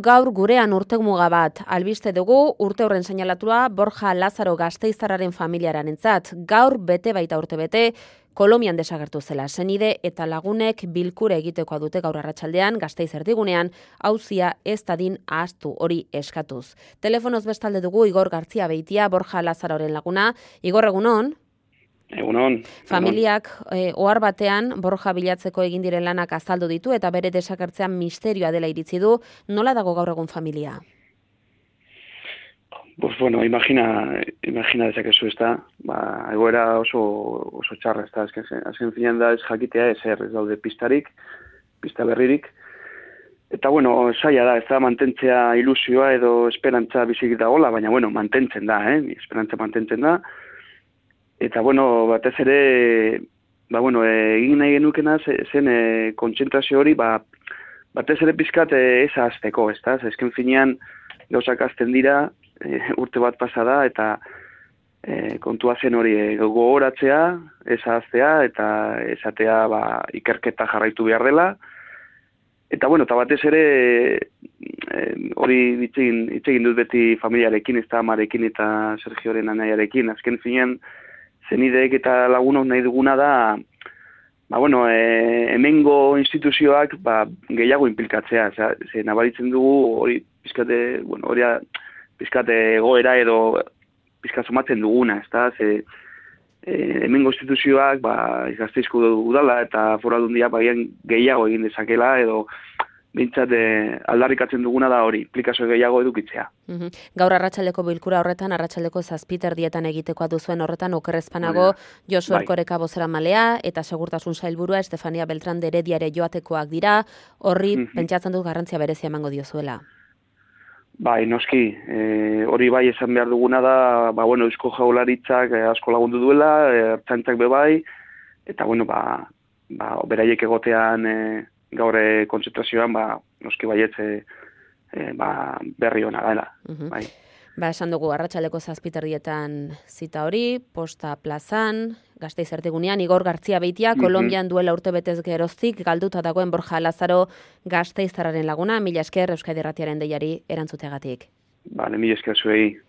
Gaur gurean urtemuga bat albiste dugu, urte horren seinalatua Borja Lazaro Gasteiztarraren familiarentzat. Gaur bete baita urte bete, Kolonbian desagertu zela. Senide eta lagunek bilkura egitekoa dute gaur arratsaldean Gasteiz erdigunean, auzia ez dadin ahaztu hori eskatuz. Telefonoz bestalde dugu Igor Gartzia Beitia, Borja Lazaroren laguna. Igor, egunon? Egunon. Familiak ohar batean Borja bilatzeko egin diren lanak azaldu ditu eta bere desagertzean misterioa dela iritzi du. Nola dago gaur egun familia? Pues bueno, imagina dezakezu, ezta? Egoera oso txarra, ezta? Azken finean da ez jakitea ez daude pista berririk. Eta bueno, saia da, ez da mantentzea ilusioa edo esperantza bizik dagoela, baina bueno, mantentzen da, esperantza mantentzen da. Eta bueno, batez ere, egin nahi genukena zen kontzentrazio hori, batez ere pizkat ez ahazteko, ezta? Ezken finean gauzak azten dira, urte bat pasa da, eta kontua zen hori gogoratzea, ez ahaztea, eta esatea ikerketa jarraitu behar dela. Eta bueno, eta batez ere hori hitz egin dut beti familiarekin, ezta amarekin eta Sergioren anaiarekin. Azken finean, zenideek eta lagunok nahi duguna da, hemengo instituzioak gehiago inplikatzea. Ze nabaritzen dugu hori pizkate egoera edo pizkat somatzen duguna, ezta? Hemengo instituzioak Gasteizko udala eta Foru Aldundia gehiago egin dezakela edo bintzat aldarrikatzen duguna da hori, implikazio gehiago edukitzea. Gaur arratsaldeko bilkura horretan, arratsaldeko 7:00 egitekoa duzuen horretan okerrezpanago Josu Erkoreka bozeramalea eta segurtasun sailburua Estefania Beltran de Herediare joatekoak dira, horri pentsatzen dut garrantzia berezia emango diozuela. Bai, noski, hori bai esan behar duguna da, Eusko Jaurlaritzak asko lagundu duela, ertzaintzak bai, eta beraiek egotean gaur kontzentrazioan, noski baietz berri hona dela. Bai. Esan dugu, arratsaldeko 7:00 zita hori, Posta plazan, Gasteiz erdigunean, Igor Gartzia Beitia, Kolonbian duela urte betez geroztik, galduta dagoen Borja Lazaro Gasteiztarraren laguna. Mila esker Euskadi Irratiaren deiari erantzuteagatik. Mila esker zuei.